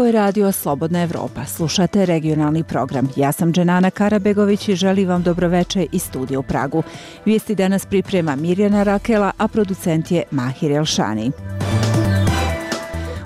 Ovo je radio Slobodna Evropa. Slušate regionalni program. Ja sam Dženana Karabegović i želim vam dobroveče iz studija u Pragu. Vijesti danas priprema Mirjana Rakela, a producent je Mahir Elšani.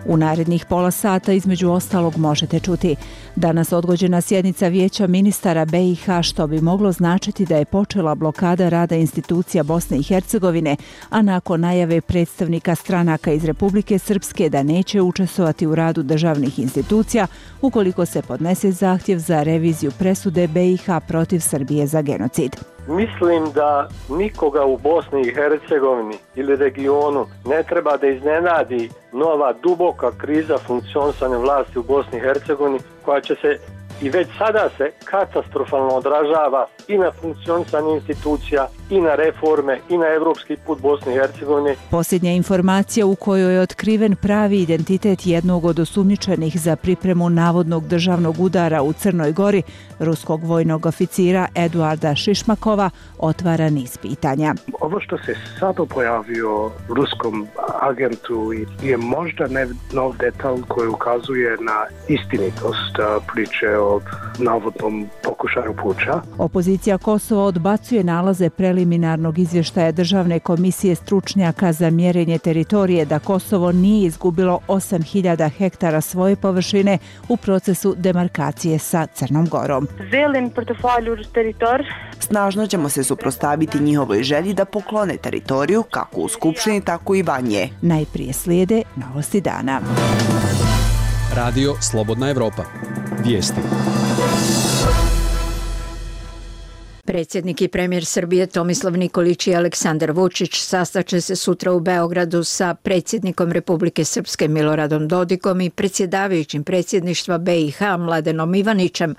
U narednih pola sata između ostalog možete čuti: danas odgođena sjednica Vijeća ministara BiH, što bi moglo značiti da je počela blokada rada institucija Bosne i Hercegovine, a nakon najave predstavnika stranaka iz Republike Srpske da neće učestvovati u radu državnih institucija ukoliko se podnese zahtjev za reviziju presude BiH protiv Srbije za genocid. Mislim da nikoga u Bosni i Hercegovini ili regionu ne treba da iznenadi nova duboka kriza funkcionisanja vlasti u Bosni i Hercegovini, koja će se i već sada se katastrofalno odražava i na funkcionisanje institucija, i na reforme, i na evropski put Bosne i Hercegovine. Posljednja informacija u kojoj je otkriven pravi identitet jednog od osumnjičenih za pripremu navodnog državnog udara u Crnoj Gori, ruskog vojnog oficira Eduarda Šišmakova, otvara niz pitanja. Ovo što se sada pojavio ruskom agentu je možda nov detalj koji ukazuje na istinitost priče o navodnom pokušaju puča. Opozicija Kosova odbacuje nalaze preliminarnog izvještaja Državne komisije stručnjaka za mjerenje teritorije da Kosovo nije izgubilo 8.000 hektara svoje površine u procesu demarkacije sa Crnom Gorom. Snažno ćemo se suprotstaviti njihovoj želji da poklone teritoriju kako u Skupštini, tako i van nje. Najprije slijede novosti dana. Radio Slobodna Evropa. Vijesti. Predsjednik i premijer Srbije Tomislav Nikolić i Aleksandar Vučić sastaće se sutra u Beogradu sa predsjednikom Republike Srpske Miloradom Dodikom i predsjedavajućim predsjedništva BiH Mladenom Ivanićem,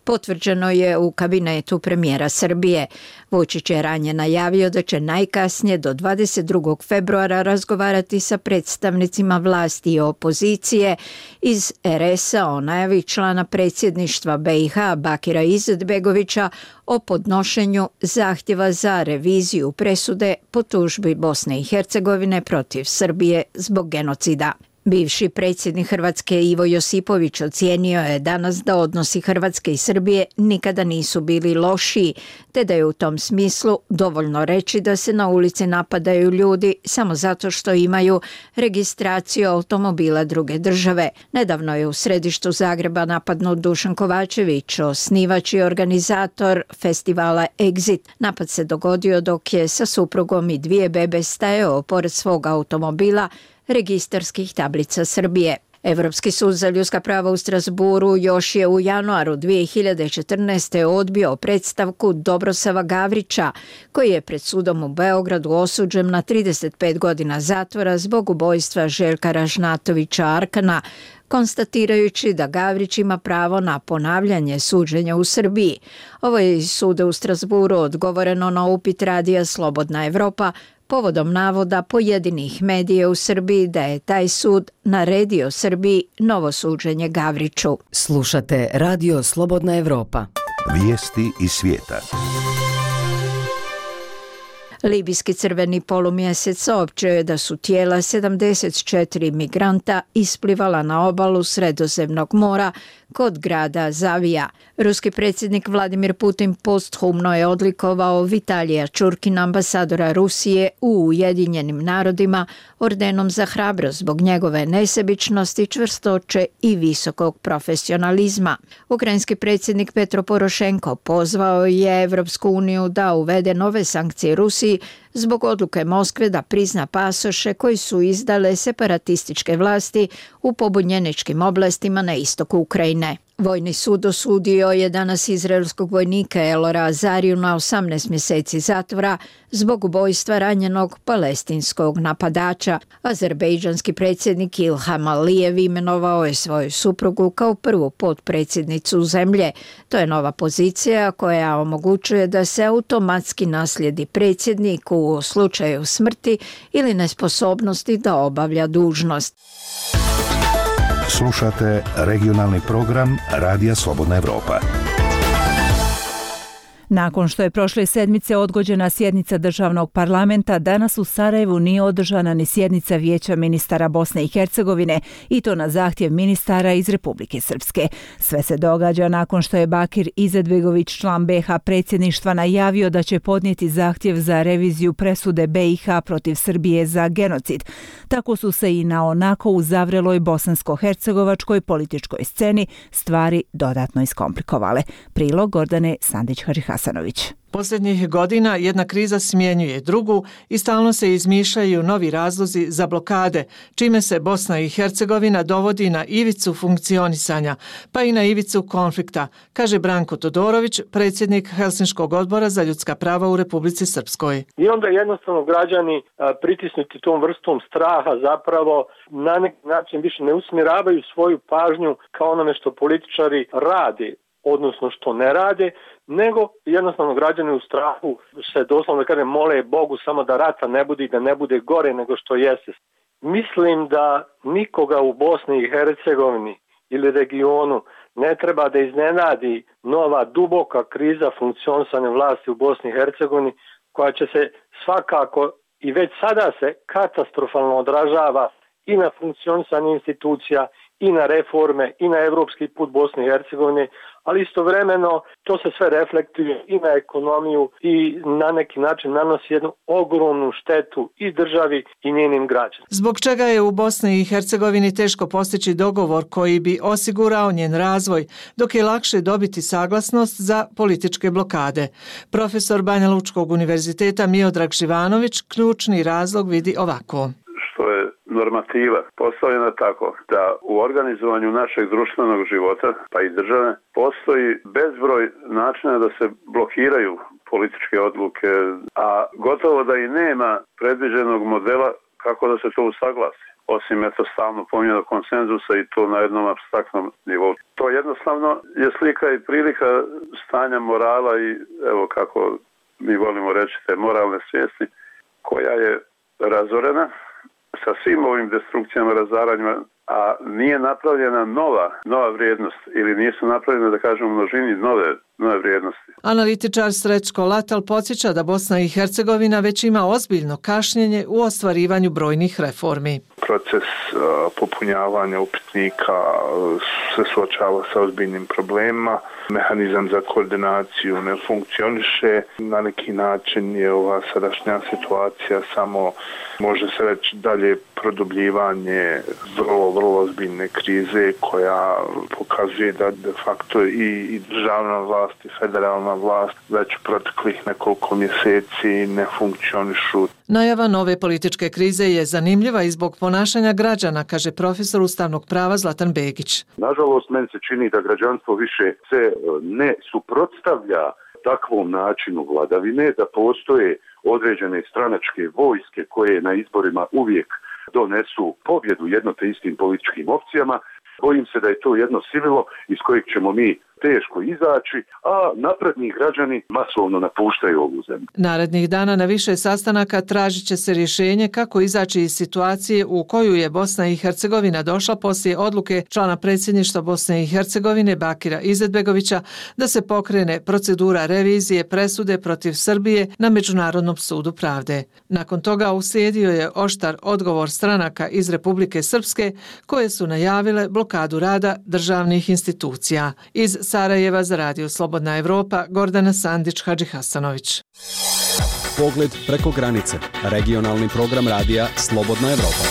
potvrđeno je u kabinetu premijera Srbije. Vučić je ranije najavio da će najkasnije do 22. februara razgovarati sa predstavnicima vlasti i opozicije iz RS-a o najavi člana predsjedništva BiH Bakira Izetbegovića o podnošenju zahtjeva za reviziju presude po tužbi Bosne i Hercegovine protiv Srbije zbog genocida. Bivši predsjednik Hrvatske Ivo Josipović ocijenio je danas da odnosi Hrvatske i Srbije nikada nisu bili lošiji, te da je u tom smislu dovoljno reći da se na ulici napadaju ljudi samo zato što imaju registraciju automobila druge države. Nedavno je u središtu Zagreba napadnut Dušan Kovačević, osnivač i organizator festivala Exit. Napad se dogodio dok je sa suprugom i 2 bebe stajao pored svog automobila registarskih tablica Srbije. Evropski sud za ljudska prava u Strasburu još je u januaru 2014. odbio predstavku Dobrosava Gavrića, koji je pred sudom u Beogradu osuđen na 35 godina zatvora zbog ubojstva Željka Ražnatovića Arkana, konstatirajući da Gavrić ima pravo na ponavljanje suđenja u Srbiji. Ovo je iz suda u Strasburu odgovoreno na upit radija Slobodna Evropa povodom navoda pojedinih medija u Srbiji da je taj sud naredio Srbiji novo suđenje Gavriću. Slušate Radio Slobodna Evropa. Vijesti iz svijeta. Libijski crveni polumjesec saopćio je da su tijela 74 migranta isplivala na obalu Sredozemnog mora kod grada Zavija. Ruski predsjednik Vladimir Putin posthumno je odlikovao Vitalija Čurkina, ambasadora Rusije u Ujedinjenim narodima, ordenom za hrabrost zbog njegove nesebičnosti, čvrstoće i visokog profesionalizma. Ukrajinski predsjednik Petro Porošenko pozvao je Evropsku uniju da uvede nove sankcije Rusiji zbog odluke Moskve da prizna pasoše koji su izdale separatističke vlasti u pobunjeničkim oblastima na istoku Ukrajine. Vojni sud osudio je danas izraelskog vojnika Elora Azariju na 18 mjeseci zatvora zbog ubojstva ranjenog palestinskog napadača. Azerbejdžanski predsjednik Ilham Alijev imenovao je svoju suprugu kao prvu potpredsjednicu zemlje. To je nova pozicija koja omogućuje da se automatski naslijedi predsjednik u slučaju smrti ili nesposobnosti da obavlja dužnost. Slušate regionalni program Radija Slobodna Evropa. Nakon što je prošle sedmice odgođena sjednica državnog parlamenta, danas u Sarajevu nije održana ni sjednica Vijeća ministara Bosne i Hercegovine, i to na zahtjev ministara iz Republike Srpske. Sve se događa nakon što je Bakir Izetbegović, član BiH predsjedništva, najavio da će podnijeti zahtjev za reviziju presude BiH protiv Srbije za genocid. Tako su se i na onako u zavreloj bosansko-hercegovačkoj političkoj sceni stvari dodatno iskomplikovale. Prilog Gordane Sandić-Hadžihasanović. Posljednjih godina jedna kriza smjenjuje drugu i stalno se izmišljaju novi razlozi za blokade, čime se Bosna i Hercegovina dovodi na ivicu funkcionisanja, pa i na ivicu konflikta, kaže Branko Todorović, predsjednik Helsinškog odbora za ljudska prava u Republici Srpskoj. I onda jednostavno građani pritisnuti tom vrstom straha zapravo na neki način više ne usmjeravaju svoju pažnju kao onome što političari rade, odnosno što ne rade, nego jednostavno građani u strahu se doslovno mole Bogu samo da rata ne bude i da ne bude gore nego što jeste. Mislim da nikoga u Bosni i Hercegovini ili regionu ne treba da iznenadi nova duboka kriza funkcionisanja vlasti u Bosni i Hercegovini, koja će se svakako i već sada se katastrofalno odražava i na funkcionisanje institucija, i na reforme, i na evropski put Bosne i Hercegovine, ali istovremeno to se sve reflektuje i na ekonomiju i na neki način nanosi jednu ogromnu štetu i državi i njenim građanima. Zbog čega je u Bosni i Hercegovini teško postići dogovor koji bi osigurao njen razvoj, dok je lakše dobiti saglasnost za političke blokade? Profesor Banja Lučkog univerziteta Miodrag Živanović ključni razlog vidi ovako. Što je normativa postavljena tako da u organizovanju našeg društvenog života, pa i države, postoji bezbroj načina da se blokiraju političke odluke, a gotovo da i nema predviđenog modela kako da se to usaglasi. Osim stalno pominjanog konsenzusa i to na jednom apstraktnom nivou. To jednostavno je slika i prilika stanja morala i evo kako mi volimo reći te moralne svijesti, koja je razorena sa svim ovim destrukcijama, razaranjima, a nije napravljena nova vrijednost ili nisu napravljene, da kažemo, množini nove vrijednosti. Analitičar Srećko Latal podsjeća da Bosna i Hercegovina već ima ozbiljno kašnjenje u ostvarivanju brojnih reformi. Proces popunjavanja upitnika se suočava sa ozbiljnim problemima. Mehanizam za koordinaciju ne funkcioniše. Na neki način je ova sadašnja situacija samo, može se reći, dalje produbljivanje vrlo ozbiljne krize koja pokazuje da de facto i državna vlast i federalna vlast već proteklih nekoliko mjeseci ne funkcionišu. Najava nove političke krize je zanimljiva i zbog ponašanja građana, kaže profesor ustavnog prava Zlatan Begić. Nažalost, meni se čini da građanstvo više se ne suprotstavlja takvom načinu vladavine, da postoje određene stranačke vojske koje na izborima uvijek donesu pobjedu jedno te istim političkim opcijama. Bojim se da je to jedno sivilo iz kojeg ćemo mi teško izaći, a napredni građani masovno napuštaju ovu zemlju. Narednih dana na više sastanaka tražit će se rješenje kako izaći iz situacije u koju je Bosna i Hercegovina došla poslije odluke člana predsjedništva Bosne i Hercegovine Bakira Izetbegovića da se pokrene procedura revizije presude protiv Srbije na Međunarodnom sudu pravde. Nakon toga uslijedio je oštar odgovor stranaka iz Republike Srpske koje su najavile blokadu rada državnih institucija. Iz Sarajeva za Radio Slobodna Evropa, Gordana Sandić-Hadžihasanović. Pogled preko granice. Regionalni program radija Slobodna Evropa.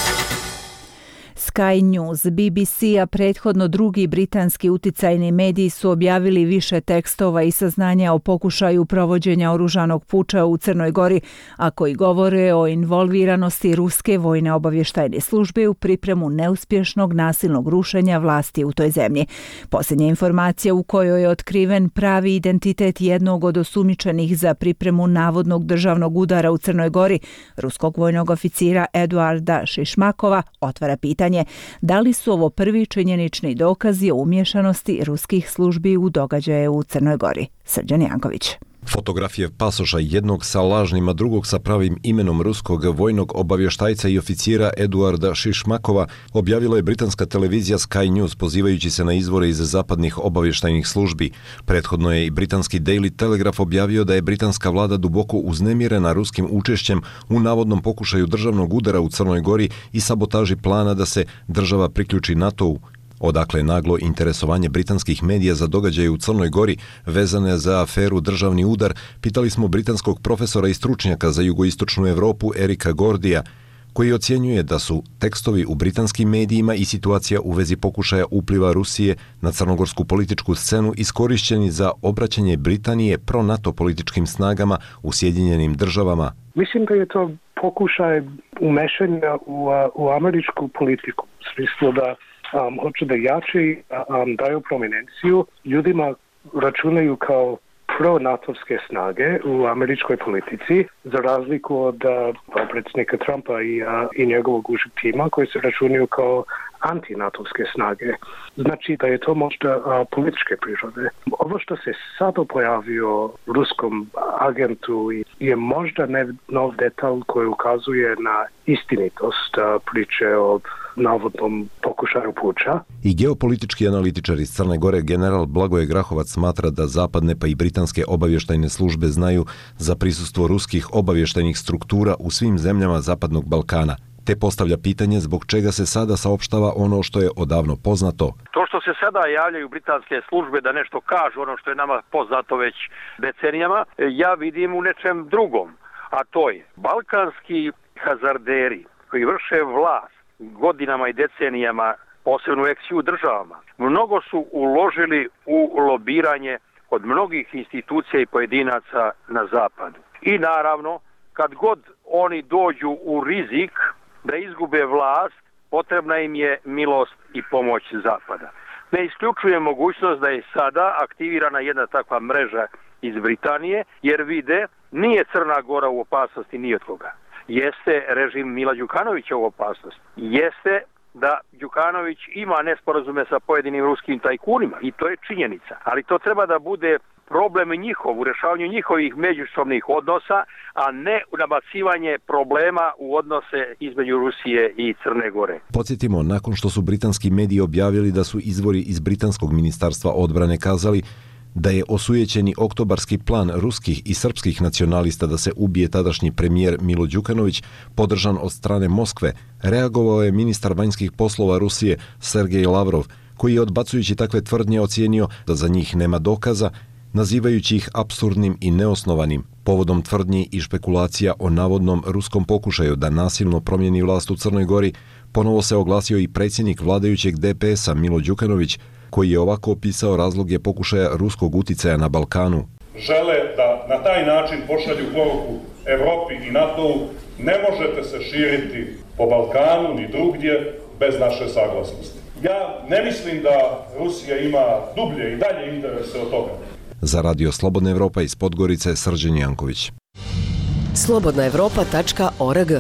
Sky News, BBC, a prethodno drugi britanski uticajni mediji su objavili više tekstova i saznanja o pokušaju provođenja oružanog puča u Crnoj Gori, a koji govore o involviranosti ruske vojne obavještajne službe u pripremu neuspješnog nasilnog rušenja vlasti u toj zemlji. Posljednja informacija u kojoj je otkriven pravi identitet jednog od osumnjičenih za pripremu navodnog državnog udara u Crnoj Gori, ruskog vojnog oficira Eduarda Šišmakova, otvara pitanje da li su ovo prvi činjenični dokazi o umješanosti ruskih službi u događaje u Crnoj Gori. Srđan Janković. Fotografije pasoša, jednog sa lažnim, a drugog sa pravim imenom ruskog vojnog obavještajca i oficijera Eduarda Šišmakova objavila je britanska televizija Sky News pozivajući se na izvore iz zapadnih obavještajnih službi. Prethodno je i britanski Daily Telegraph objavio da je britanska vlada duboko uznemirena ruskim učešćem u navodnom pokušaju državnog udara u Crnoj Gori i sabotaži plana da se država priključi NATO-u. Odakle naglo interesovanje britanskih medija za događaje u Crnoj Gori vezane za aferu državni udar, pitali smo britanskog profesora i stručnjaka za jugoistočnu Europu Erika Gordija, koji ocjenjuje da su tekstovi u britanskim medijima i situacija u vezi pokušaja upliva Rusije na crnogorsku političku scenu iskorišćeni za obraćanje Britanije pro-NATO političkim snagama u Sjedinjenim državama. Mislim da je to pokušaj umešanja u američku politiku, u smislu da hoće da jače daju prominenciju ljudima računaju kao pro-natovske snage u američkoj politici, za razliku od predsjednika Trumpa i njegovog užeg tima koji se računaju kao antinatovske snage. Znači da je to možda političke prirode. Ovo što se sada pojavio ruskom agentu je možda nov detalj koji ukazuje na istinitost priče o navodnom pokušaju puča. I geopolitički analitičar iz Crne Gore general Blagoje Grahovac smatra da zapadne pa i britanske obavještajne službe znaju za prisustvo ruskih obavještajnih struktura u svim zemljama Zapadnog Balkana. Te postavlja pitanje zbog čega se sada saopštava ono što je odavno poznato. To što se sada javljaju britanske službe da nešto kažu ono što je nama poznato već decenijama, ja vidim u nečem drugom. A to je balkanski hazarderi koji vrše vlast godinama i decenijama, posebno u ex-EU državama, mnogo su uložili u lobiranje od mnogih institucija i pojedinaca na zapadu. I naravno, kad god oni dođu u rizik da izgube vlast, potrebna im je milost i pomoć zapada. Ne isključuje mogućnost da je sada aktivirana jedna takva mreža iz Britanije, jer vide, nije Crna Gora u opasnosti ni od koga. Jeste režim Mila Đukanovića u opasnosti. Jeste da Đukanović ima nesporazume sa pojedinim ruskim tajkunima i to je činjenica. Ali to treba da bude problem njihov u rješavanju njihovih međusobnih odnosa, a ne nabacivanje problema u odnose između Rusije i Crne Gore. Podsjetimo, nakon što su britanski mediji objavili da su izvori iz britanskog ministarstva odbrane kazali da je osujećeni oktobarski plan ruskih i srpskih nacionalista da se ubije tadašnji premijer Milo Đukanović, podržan od strane Moskve, reagovao je ministar vanjskih poslova Rusije Sergej Lavrov, koji je odbacujući takve tvrdnje ocijenio da za njih nema dokaza, nazivajući ih apsurdnim i neosnovanim. Povodom tvrdnji i špekulacija o navodnom ruskom pokušaju da nasilno promijeni vlast u Crnoj Gori, ponovo se oglasio i predsjednik vladajućeg DPS-a Milo Đukanović, koji je ovako opisao razloge pokušaja ruskog uticaja na Balkanu. Žele da na taj način pošalju poruku Evropi i NATO-u: ne možete se širiti po Balkanu ni drugdje bez naše saglasnosti. Ja ne mislim da Rusija ima dublje i dalje interese od toga. Za Radio Slobodna Evropa iz Podgorice, Srđan Janković. slobodnaevropa.org.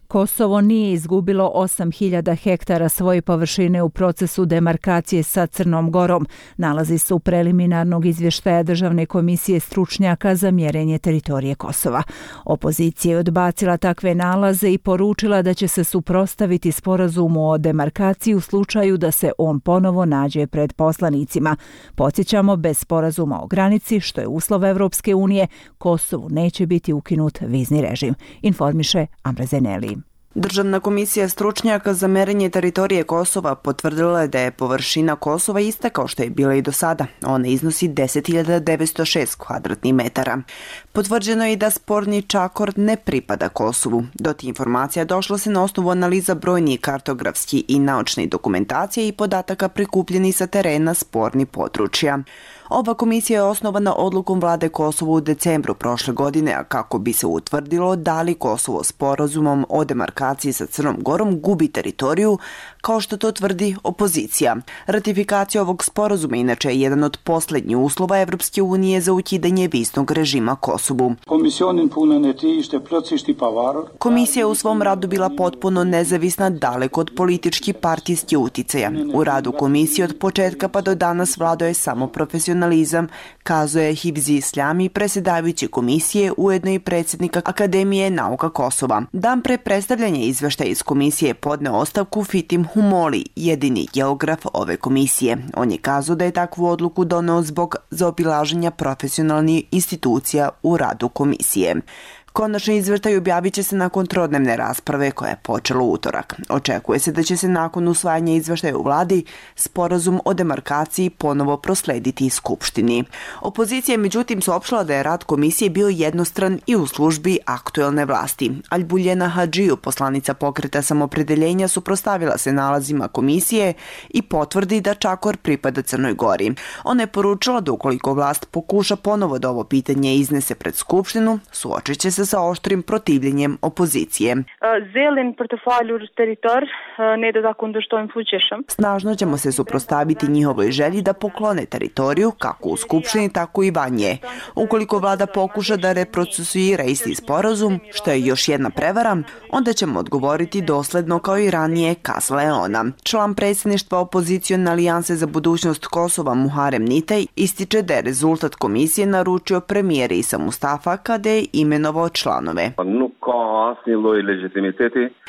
Kosovo nije izgubilo 8.000 hektara svoje površine u procesu demarkacije sa Crnom Gorom, nalazi se u preliminarnog izvještaja Državne komisije stručnjaka za mjerenje teritorije Kosova. Opozicija je odbacila takve nalaze i poručila da će se suprotstaviti sporazumu o demarkaciji u slučaju da se on ponovo nađe pred poslanicima. Podsjećamo, bez sporazuma o granici, što je uslov Evropske unije, Kosovu neće biti ukinut vizni režim, informiše Amra Zeneli. Državna komisija stručnjaka za merenje teritorije Kosova potvrdila je da je površina Kosova ista kao što je bila i do sada. Ona iznosi 10.906 kvadratnih metara. Potvrđeno je i da sporni čakor ne pripada Kosovu. Do tih informacija došlo se na osnovu analiza brojnih kartografskih i naučnih dokumentacija i podataka prikupljenih sa terena spornih područja. Ova komisija je osnovana odlukom vlade Kosova u decembru prošle godine, a kako bi se utvrdilo da li Kosovo sporazumom o demarkaciji sa Crnom Gorom gubi teritoriju, kao što to tvrdi opozicija. Ratifikacija ovog sporazuma inače je jedan od posljednjih uslova Evropske unije za ukidanje viznog režima Kosovu. Komisija je u svom radu bila potpuno nezavisna, daleko od političkih partijskih uticaja. U radu komisije od početka pa do danas vladao je samo profesionalizam, kazuje Hivzi Isljami, predsjedavajući komisije, ujedno i predsjednika Akademije nauka Kosova. Dan pre predstavljanja izveštaja iz komisije podneo ostavku Fitim Humoli, jedini geograf ove komisije. On je kazao da je takvu odluku doneo zbog zaobilaženja profesionalnih institucija u radu komisije. Konačni izvještaj objavit će se nakon trodnevne rasprave koja je počela u utorak. Očekuje se da će se nakon usvajanja izvještaja u vladi sporazum o demarkaciji ponovo proslediti Skupštini. Opozicija je međutim saopštila da je rad komisije bio jednostran i u službi aktuelne vlasti. Albuljena Hadžiju, poslanica pokreta samopredeljenja, suprotstavila se nalazima komisije i potvrdi da Čakor pripada Crnoj Gori. Ona je poručila da ukoliko vlast pokuša ponovo da ovo pitanje iznese pred Skupštinu, suočit će se sa oštrim protivljenjem opozicije. Snažno ćemo se suprotstaviti njihovoj želji da poklone teritoriju kako u Skupštini, tako i van nje. Ukoliko vlada pokuša da reprocesuira isti sporazum, što je još jedna prevara, onda ćemo odgovoriti dosledno kao i ranije, kazala je ona. Član predsjedništva opozicione alijanse za budućnost Kosova Muharem Nitaj ističe da je rezultat komisije naručio premijer Isa Mustafa kada je imenovao članove.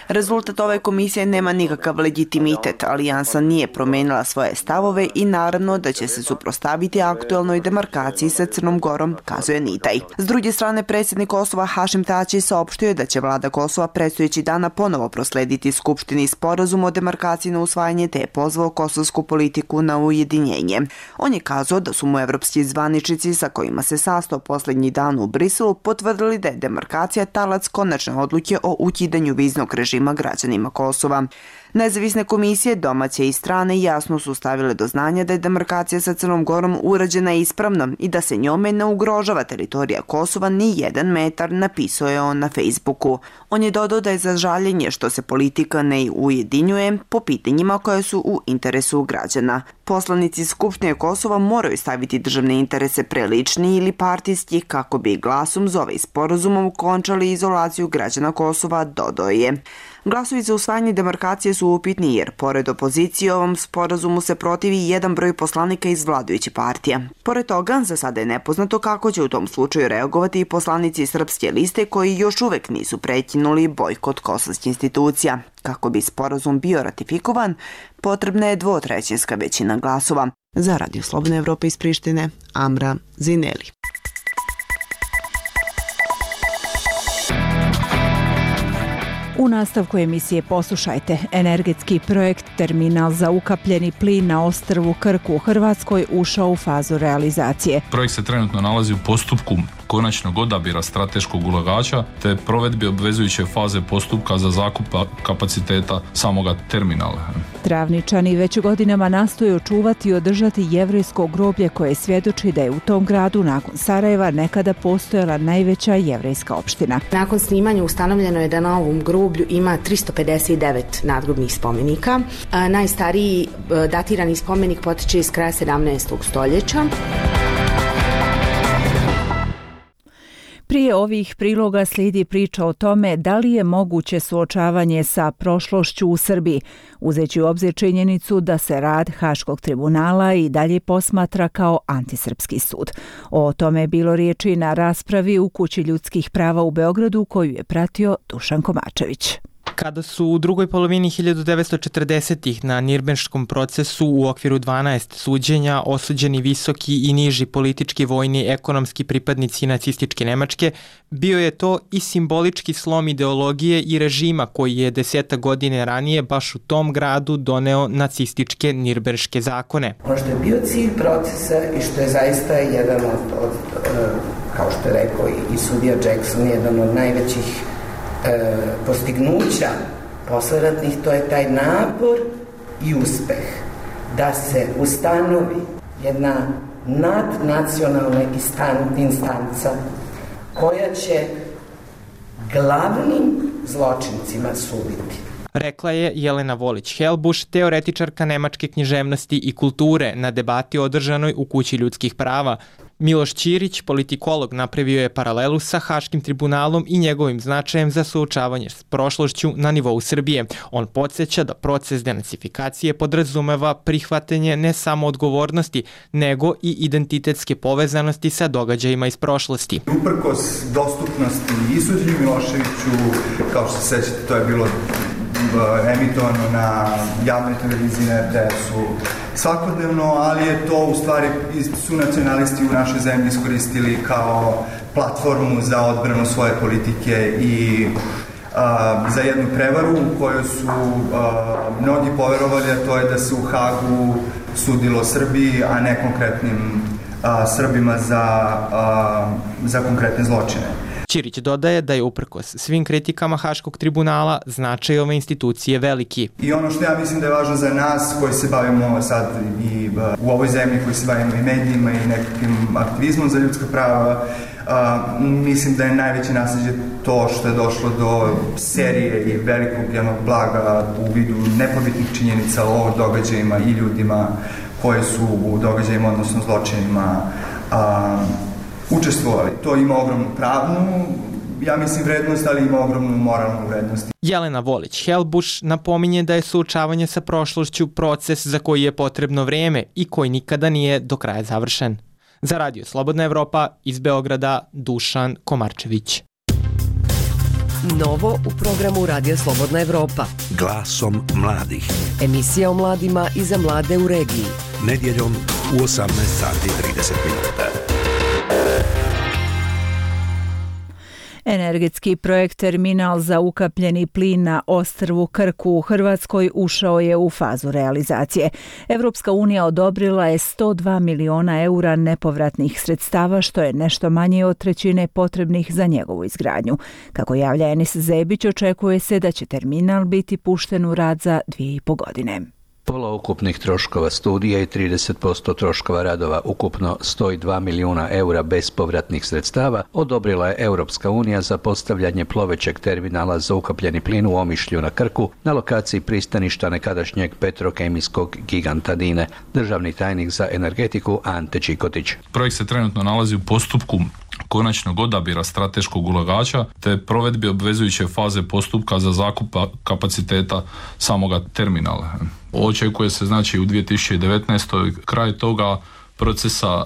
Rezultat ove komisije nema nikakav legitimitet. Alijansa nije promenila svoje stavove i naravno da će se suprotstaviti aktuelnoj demarkaciji sa Crnom Gorom, kazuje Nitaj. S druge strane, predsjednik Kosova Hašim Tači saopštio je da će vlada Kosova predstojeći dana ponovo proslediti Skupštini sporazum o demarkaciji na usvajanje, te je pozvao kosovsku politiku na ujedinjenje. On je kazao da su mu evropski zvaničnici sa kojima se sastao posljednji dan u Briselu potvrdili da je demarkacija talac konačne odluke o ukidanju viznog režima građanima Kosova. Nezavisne komisije, domaće i strane, jasno su stavile do znanja da je demarkacija sa Crnom Gorom urađena ispravno i da se njome ne ugrožava teritorija Kosova ni 1 metar, napisao je on na Facebooku. On je dodao da je za žaljenje što se politika ne ujedinjuje po pitanjima koje su u interesu građana. Poslanici Skupštine Kosova moraju staviti državne interese pre lični ili partijski kako bi glasom za ovaj sporazumom končali izolaciju građana Kosova, dodao je. Glasovi za usvajanje demarkacije su upitni jer, pored opozicije, ovom sporazumu se protivi jedan broj poslanika iz vladajuće partija. Pored toga, za sada je nepoznato kako će u tom slučaju reagovati i poslanici Srpske liste koji još uvek nisu prekinuli bojkot kosovskih institucija. Kako bi sporazum bio ratifikovan, potrebna je 2/3 većina glasova. Za Radio Slobodne Evrope iz Prištine, Amra Zineli. U nastavku emisije poslušajte. Energetski projekt Terminal za ukapljeni plin na ostrvu Krku u Hrvatskoj ušao u fazu realizacije. Projekt se trenutno nalazi u postupku konačnog odabira strateškog ulagača te provedbi obvezujuće faze postupka za zakup kapaciteta samoga terminala. Travničani već godinama nastoje očuvati i održati jevrejsko groblje koje svjedoči da je u tom gradu nakon Sarajeva nekada postojala najveća jevrejska opština. Nakon snimanja ustanovljeno je da na ovom groblju ima 359 nadgrobnih spomenika. Najstariji datirani spomenik potiče iz kraja 17. stoljeća. Prije ovih priloga slijedi priča o tome da li je moguće suočavanje sa prošlošću u Srbiji, uzeći u obzir činjenicu da se rad Haškog tribunala i dalje posmatra kao antisrpski sud. O tome je bilo riječi na raspravi u Kući ljudskih prava u Beogradu koju je pratio Dušan Komačević. Kada su u drugoj polovini 1940-ih na Nirnberškom procesu u okviru 12 suđenja osuđeni visoki i niži politički, vojni, ekonomski pripadnici nacističke Nemačke, bio je to i simbolički slom ideologije i režima koji je 10 godine ranije baš u tom gradu doneo nacističke Nirnberške zakone. Ono što je bio cilj procesa i što je zaista jedan od kao što je rekao i sudija Jackson, jedan od najvećih postignuća posleratnih, to je taj napor i uspeh da se ustanovi jedna nadnacionalna instanca koja će glavnim zločincima suditi. Rekla je Jelena Volić-Helbuš, teoretičarka nemačke književnosti i kulture na debati održanoj u Kući ljudskih prava. Miloš Ćirić, politikolog, napravio je paralelu sa Haškim tribunalom i njegovim značajem za suočavanje s prošlošću na nivou Srbije. On podsjeća da proces denacifikacije podrazumeva prihvatanje ne samo odgovornosti, nego i identitetske povezanosti sa događajima iz prošlosti. Uprkos dostupnosti i suđenju Miloševiću, kao što se sećate, to je bilo emitovano na javnoj televiziji, na RTS-u svakodnevno, ali je to u stvari su nacionalisti u našoj zemlji iskoristili kao platformu za odbranu svoje politike i za jednu prevaru u kojoj su mnogi poverovali, a to je da se u Hagu sudilo Srbiji, a ne konkretnim Srbima za konkretne zločine. Ćirić dodaje da je uprkos svim kritikama Haškog tribunala značaj ove institucije veliki. I ono što ja mislim da je važno za nas koji se bavimo sad i u ovoj zemlji, koji se bavimo i medijima i nekakvim aktivizmom za ljudska prava, mislim da je najveće nasljeđe to što je došlo do serije i velikog jednog blaga u vidu nepobitnih činjenica o događajima i ljudima koji su u događajima, odnosno zločinima, učestvovali. To ima ogromnu pravnu, ja mislim, vrednost, ali ima ogromnu moralnu vrednost. Jelena Volić-Helbuš napominje da je suočavanje sa prošlošću proces za koji je potrebno vrijeme i koji nikada nije do kraja završen. Za Radio Slobodna Evropa iz Beograda, Dušan Komarčević. Novo u programu Radio Slobodna Evropa. Glasom mladih. Emisija o mladima i za mlade u regiji. Nedjeljom u 18:30. Energetski projekt Terminal za ukapljeni plin na ostrvu Krku u Hrvatskoj ušao je u fazu realizacije. Evropska unija odobrila je 102 miliona eura nepovratnih sredstava, što je nešto manje od trećine potrebnih za njegovu izgradnju. Kako javlja Enis Zebić, očekuje se da će terminal biti pušten u rad za 2,5 godine. Pola ukupnih troškova studija i 30% troškova radova, ukupno 102 milijuna eura bespovratnih sredstava, odobrila je Europska unija za postavljanje plovećeg terminala za ukapljeni plin u Omišlju na Krku na lokaciji pristaništa nekadašnjeg petrokemijskog giganta Dine. Državni tajnik za energetiku Ante Čikotić. Projekt se trenutno nalazi u postupku konačnog odabira strateškog ulagača te provedbi obvezujuće faze postupka za zakup kapaciteta samoga terminala. Očekuje se znači u 2019. kraj toga procesa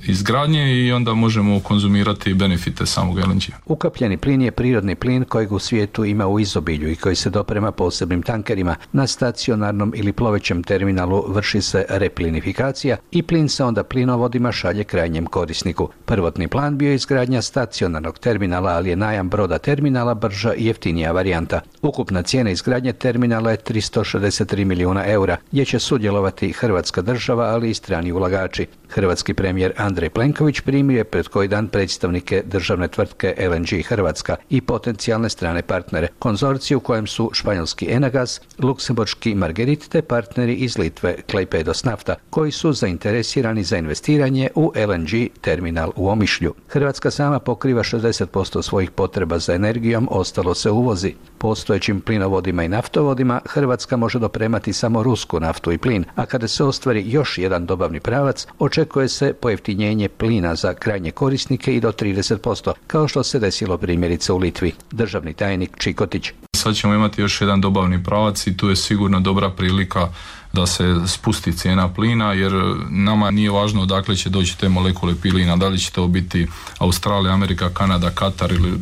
izgradnje i onda možemo konzumirati benefite samog LNG. Ukapljeni plin je prirodni plin kojeg u svijetu ima u izobilju i koji se doprema posebnim tankerima. Na stacionarnom ili plovećem terminalu vrši se replinifikacija i plin se onda plinovodima šalje krajnjem korisniku. Prvotni plan bio je izgradnja stacionarnog terminala, ali je najam broda terminala brža i jeftinija varijanta. Ukupna cijena izgradnje terminala je 363 milijuna eura, gdje će sudjelovati Hrvatska država, ali i strani ulagači. Hrvatski premijer Andrej Plenković primio je pred koji dan predstavnike državne tvrtke LNG Hrvatska i potencijalne strane partnere. Konzorciju u kojem su španjolski Enagas, luksemburški Margherit te partneri iz Litve Klaipėdos nafta, koji su zainteresirani za investiranje u LNG terminal u Omišlju. Hrvatska sama pokriva 60% svojih potreba za energijom, ostalo se uvozi. Postojećim plinovodima i naftovodima Hrvatska može dopremati samo rusku naftu i plin, a kada se ostvari još jedan dobavni pravac, očekuje se pojeftinjenje plina za krajnje korisnike i do 30%, kao što se desilo primjerice u Litvi. Državni tajnik Čikotić. Sad ćemo imati još jedan dobavni pravac i tu je sigurno dobra prilika da se spusti cijena plina, jer nama nije važno odakle će doći te molekule plina, da li će to biti Australija, Amerika, Kanada, Katar ili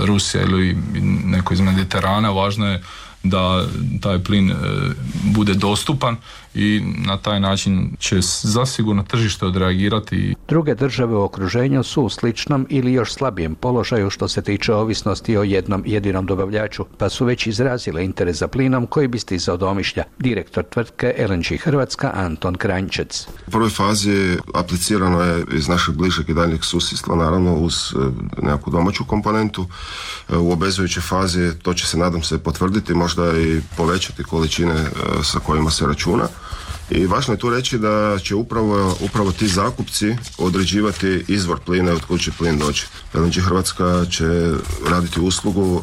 Rusija ili neko iz Mediterana. Važno je da taj plin bude dostupan i na taj način će zasigurno tržište odreagirati. Druge države u okruženju su u sličnom ili još slabijem položaju što se tiče ovisnosti o jednom jedinom dobavljaču, pa su već izrazile interes za plinom koji bi stizao do Omišlja. Direktor tvrtke LNG Hrvatska Anton Kranjčec. U prvoj fazi aplicirano je iz našeg bližeg i daljnjeg susjedstva, naravno uz nekakvu domaću komponentu. U obvezujućoj fazi to će se, nadam se, potvrditi, možda i povećati količine sa kojima se računa. I važno je tu reći da će upravo ti zakupci određivati izvor plina i od kud će plin doći. LNG Hrvatska će raditi uslugu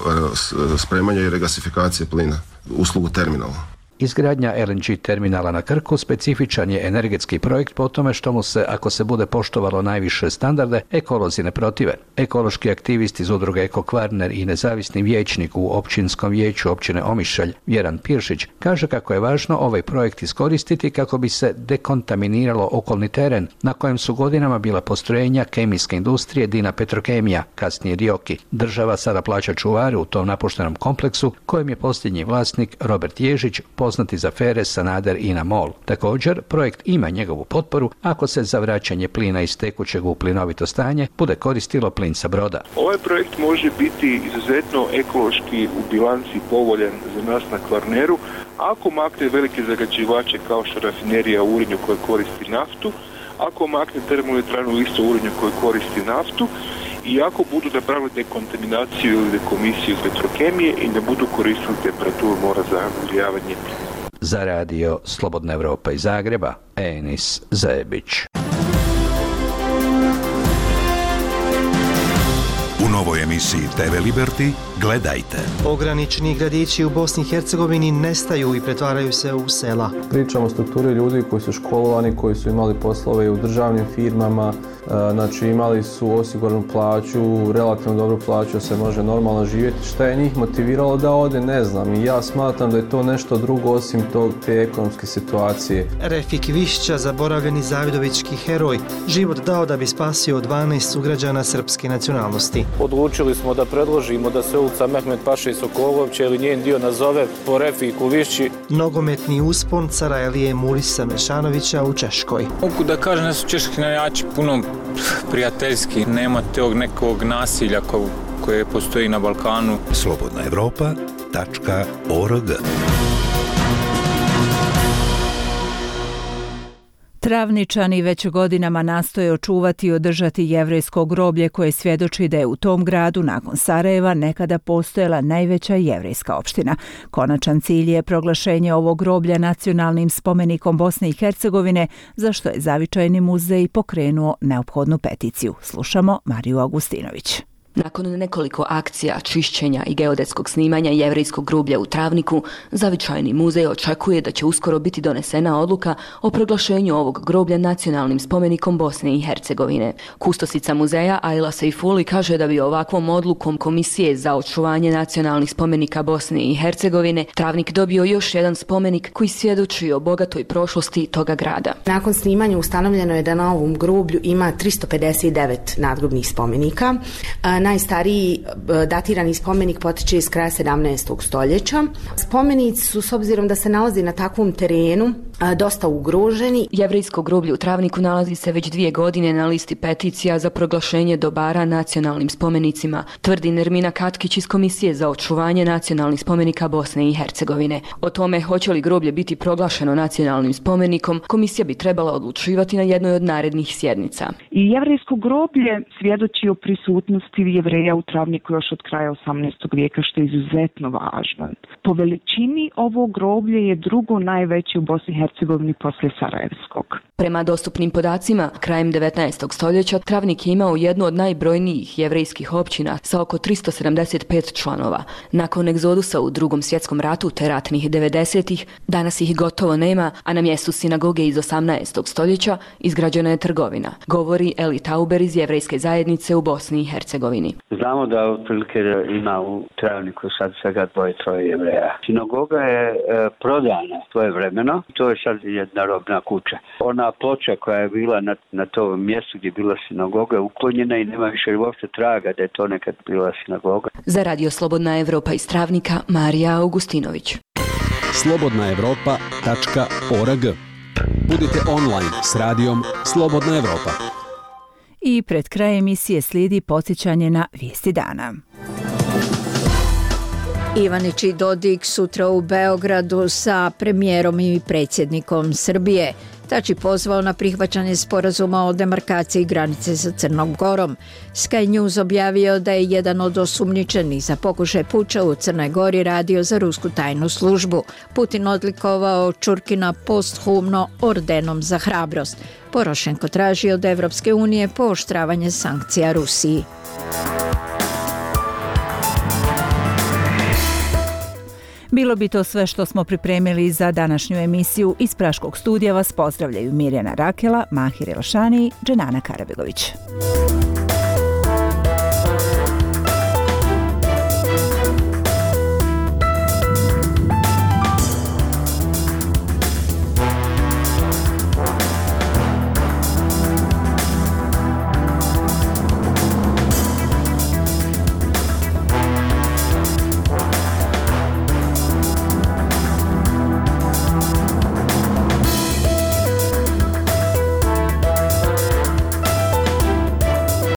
spremanja i regasifikacije plina. uslugu terminala. Izgradnja LNG terminala na Krku specifičan je energetski projekt po tome što mu se, ako se bude poštovalo najviše standarde, ekolozi ne protive. Ekološki aktivist iz udruge Eko Kvarner i nezavisni vijećnik u općinskom vijeću općine Omišalj, Vjeran Piršić, kaže kako je važno ovaj projekt iskoristiti kako bi se dekontaminiralo okolni teren na kojem su godinama bila postrojenja kemijske industrije Dina Petrokemija, kasnije Dioki. Država sada plaća čuvare u tom napuštenom kompleksu kojem je posljednji vlasnik Robert Ježić, poznati za afere Sanader i na MOL. Također, projekt ima njegovu potporu ako se za vraćanje plina iz tekućeg u plinovito stanje bude koristilo plin sa broda. Ovaj projekt može biti izuzetno ekološki u bilanci povoljan za nas na Kvarneru, ako makne velike zagađivače kao što rafinerija u Urinju koja koristi naftu, ako makne termoelektranu u isto Urinju koja koristi naftu, i ako budu napravili dekontaminaciju ili dekomisiju Petrokemije i ne budu koristili temperaturu mora za ugrijavanje. Za radio Slobodna Evropa iz Zagreba, Enis Zajebić. U novoj emisiji TV Liberty gledajte. Pogranični gradići u Bosni i Hercegovini nestaju i pretvaraju se u sela. Pričamo o strukturi ljudi koji su školovani, koji su imali poslove u državnim firmama, znači imali su osiguranu plaću, relativno dobru plaću, se može normalno živjeti. Šta je njih motiviralo da ode, ne znam. I ja smatram da je to nešto drugo osim te ekonomske situacije. Refik Višća, zaboravljeni zavidovički heroj, život dao da bi spasio 12 sugrađana srpske nacionalnosti. Odlučili smo da predložimo da se ulica Mehmet Paše Sokolovća ili njen dio nazove po Refiku Višći. Nogometni uspon cara Elije Mulisa Mešanovića u Češkoj. Mogu da kažem da su češki navijači puno prijateljski, nema tog nekog nasilja koje postoji na Balkanu. slobodnaevropa.org. Travničani već godinama nastoje očuvati i održati jevrejsko groblje koje svjedoči da je u tom gradu nakon Sarajeva nekada postojala najveća jevrejska opština. Konačan cilj je proglašenje ovog groblja nacionalnim spomenikom Bosne i Hercegovine, za što je Zavičajni muzej pokrenuo neophodnu peticiju. Slušamo Mariju Augustinović. Nakon nekoliko akcija, čišćenja i geodetskog snimanja jevrejskog groblja u Travniku, Zavičajni muzej očekuje da će uskoro biti donesena odluka o proglašenju ovog groblja nacionalnim spomenikom Bosne i Hercegovine. Kustosica muzeja Ajla Sejfuli kaže da bi ovakvom odlukom Komisije za očuvanje nacionalnih spomenika Bosne i Hercegovine Travnik dobio još jedan spomenik koji svjedoči o bogatoj prošlosti toga grada. Nakon snimanja ustanovljeno je da na ovom groblju ima 359 nadgrobnih spomenika. Najstariji datirani spomenik potiče iz kraja 17. stoljeća. Spomenici su, s obzirom da se nalazi na takvom terenu, dosta ugroženi. Jevrejsko groblje u Travniku nalazi se već 2 godine na listi peticija za proglašenje dobara nacionalnim spomenicima, tvrdi Nermina Katkić iz Komisije za očuvanje nacionalnih spomenika Bosne i Hercegovine. O tome hoće li groblje biti proglašeno nacionalnim spomenikom, komisija bi trebala odlučivati na jednoj od narednih sjednica. I jevrejsko groblje svjedoči o prisutnosti Jevreja u Travniku još od kraja 18. vijeka, što je izuzetno važno. Po veličini ovo groblje je drugo najveće u Bosni i Hercegovini poslije Sarajevskog. Prema dostupnim podacima, krajem 19. stoljeća Travnik je imao jednu od najbrojnijih jevrejskih općina sa oko 375 članova. Nakon egzodusa u Drugom svjetskom ratu te ratnih 90-ih, danas ih gotovo nema, a na mjestu sinagoge iz 18. stoljeća izgrađena je trgovina, govori Eli Tauber iz jevrejske zajednice u Bosni i Hercegovini. Znamo da otprilike ima u Travniku sad svega 2-3 Jevreja. Sinagoga je prodana svojevremeno, to je sad jedna robna kuća. Ona ploča koja je bila na tom mjestu gdje je bila sinagoga je uklonjena i nema više uopšte traga da je to nekad bila sinagoga. Za radio Slobodna Evropa iz Travnika, Marija Augustinović. slobodnaevropa.org. Budite online s radijom Slobodna Evropa. I pred kraj emisije slijedi podsjećanje na vijesti dana. Ivanić i Dodik sutra u Beogradu sa premijerom i predsjednikom Srbije. Tači pozvao na prihvaćanje sporazuma o demarkaciji granice sa Crnom Gorom. Sky News objavio da je jedan od osumnjičenih za pokušaj puča u Crnoj Gori radio za rusku tajnu službu. Putin odlikovao Čurkina posthumno ordenom za hrabrost. Porošenko traži od Evropske unije pooštravanje sankcija Rusiji. Bilo Bilo bi to sve što smo pripremili za današnju emisiju. Iz Praškog studija vas pozdravljaju Mirjana Rakela, Mahir Elšani i Dženana Karabegović.